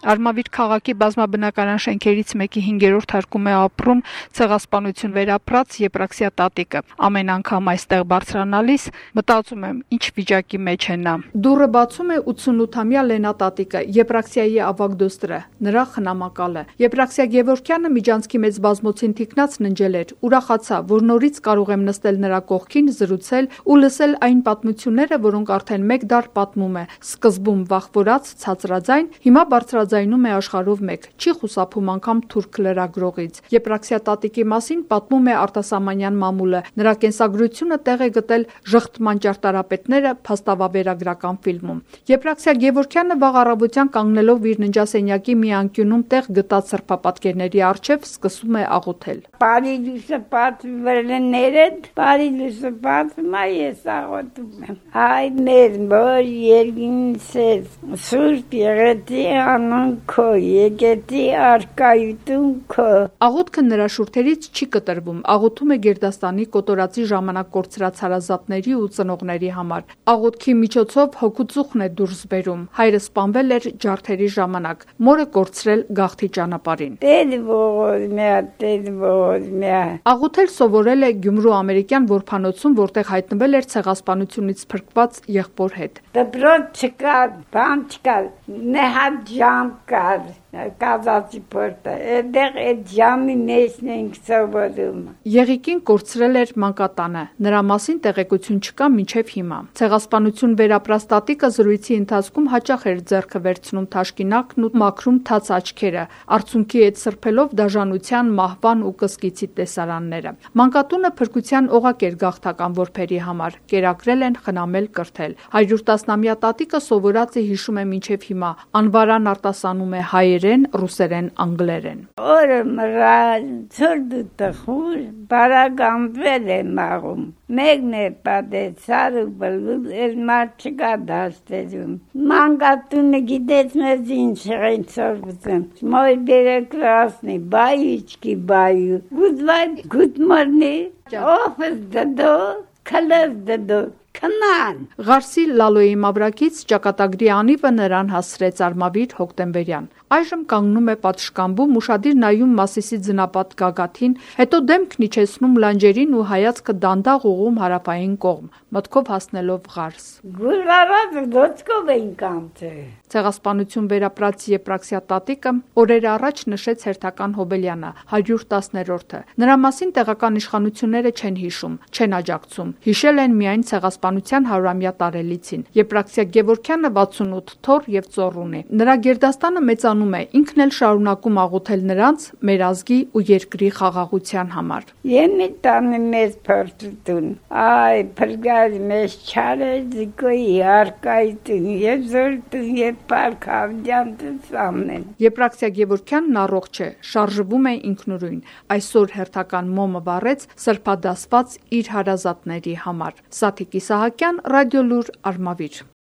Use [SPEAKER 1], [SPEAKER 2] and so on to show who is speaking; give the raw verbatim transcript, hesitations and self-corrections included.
[SPEAKER 1] Արմավիր քաղաքի բազմաբնակարան շենքերից մեկի հինգերորդ հարկում է ապրում ցեղասպանություն վերապրած Եփրաքսիա տատիկը։ Ամեն անգամ այստեղ բարձրանալիս մտածում եմ, ինչ վիճակի մեջ է նա։ Դուռը բացում է ութսունութամյա Լենա տատիկը, Եփրաքսիայի ավագ դոստրը, նրա խնամակալը։ Եփրաքսիա Գևորգյանը միջանցքի մեծ բազմոցին թիկնած ննջել էր, ուրախացա, որ նորից կարող եմ նստել նրա կողքին, զրուցել ու լսել այն պատմությունները, որոնք արդեն մեկ դար պատմում է, սկզբում վախվորած, ցածրաձայն, հիմա բարձրաձայնում է աշխարհով մեկ, չի խուսափում անգամ թուրք լրագրողից։ Եփրաքսիա տատիկի մասին պատմում է Արտասամանյան մամուլը, նրա կենսագրությունը տեղ է գտել «Ժխտման ճարտարապետները» փաստավավերագրական ֆիլմում։ Եփրաքսիա Գևորգյանը վաղ առավոտյան կանգնելով իր ննջասենյակի մի անկյունում տեղ գտած սրբապատկերների առջև սկսում է աղոթել։
[SPEAKER 2] Բարի լույսը պատվվել է ներդ, բարի լույսը պատվում է, ես աղոթում եմ։ Այ մեր որ երկինսես, սուրբ եղեցի անուն քո, եկեցի արկայություն քո։
[SPEAKER 1] Աղոթքը նրա շուրթերից չի կտրվում, աղոթում է Գերդաստանի կոտորածի ժամանակ կորցրած հարազատների ու ծնողների համար։ Աղոթքի միջոցով հոգուծուխն է դուրս բերում։ Հայրը սպանվել էր ջարդերի ժամանակ, մորը կորցրել գաղթի ճանապարհին։
[SPEAKER 2] Տեր ողորմյա, տեր ողորմյա։
[SPEAKER 1] Աղոթել սովորել է Գյումրու ամերիկյան որբանոցում, որտեղ հայտնվել էր ցեղասպանությունից փրկված եղբոր հետ։
[SPEAKER 2] Դպրոց չկար, բան չկար, նեհատ ժամ կար, կազացի պորտը, այդեղ այդ ժամի մեջն ենք սովորում։
[SPEAKER 1] Եղիկին կորցրել էր մանկատանը, նրա մասին տեղեկություն չկա մինչև հիմա։ Ցեղասպանություն վերապրած տատիկը զրույցի ընթացքում հաճախ էր ձեռքը վերցնում թաշկինակն ու մաքրում թաց աչքերը, արցունքի հետ սրբելով դաժանության, մահվան ու կսկիցի տեսարանները։ Մանկատունը փրկության օղակ էր գաղթական որբերի համար, կերակրել են, խնամել, կրթել։ Հարյուր տասնամյա տատիկը սովորած է, հիշում է մինչև հիմա, անվարան արտասանում է հայերեն, ռուսերեն, անգլերեն։
[SPEAKER 2] Օրը մռայլ, ցուրտ ու տխուր, բարագանվել է մաղում։ Մեկն է պատեցար ու բլուլ, էլ մարդ չկա դաշտերում։ Մանկատունը գիտեց մեզ ինչ են սովորում։ Մոյ բերը կրասնի, բայիչկի բայու, գուդվայ գուդմորնի, օֆս դդո, քլես դդո, քնան։
[SPEAKER 1] Ղարսի Լալոյի մավրակից ճակատագրի անիվը նրան հասցրեց Արմավիր հոկտեմբերյան։ Այժմ կանգնում է պատշգամբում, ուշադիր նայում Մասիսի ձնապատ գագաթին, հետո դեմքն իջեցնում լանջերին ու հայացքը դանդաղ ուղղում հարավային կողմ, մտքով հասնելով Ղարս։
[SPEAKER 2] Գուլարած դոցկով էին կանցե։
[SPEAKER 1] Ցեղասպանություն վերապրած Եփրաքսիա տատիկը օրեր առաջ նշեց հերթական Հոբելյանը, հարյուր տասներորդը։ Նրա մասին տեղական իշխանությունները չեն հիշում, չեն աջակցում։ Հիշել են միայն ցեղասպանության հարյուրամյա տարելիցին։ Եփրաքսիա Գևորգյանը վաթսունութ թոռ եւ ծոռ ունի։ Նրա գերդաստանը մեծանում է, ինքն էլ շարունակում աղոթել նրանց, մեր ազգի ու երկրի խաղաղության համար։
[SPEAKER 2] Եմի տանը մեզ փրկություն։ Այ փրկած մեզ չարը զիկոյի արկայություն եւ զորություն եւ Պարքավյանց ամեն։
[SPEAKER 1] Եփրաքսիա Գևորգյանն առողջ է, շարժվում է ինքնուրույն։ Այսօր հերթական մոմը վառեց սրբադասված իր հարազատների համար։ Սաթիկ Իսահակյան, Ռադիոլուր, Արմավիր։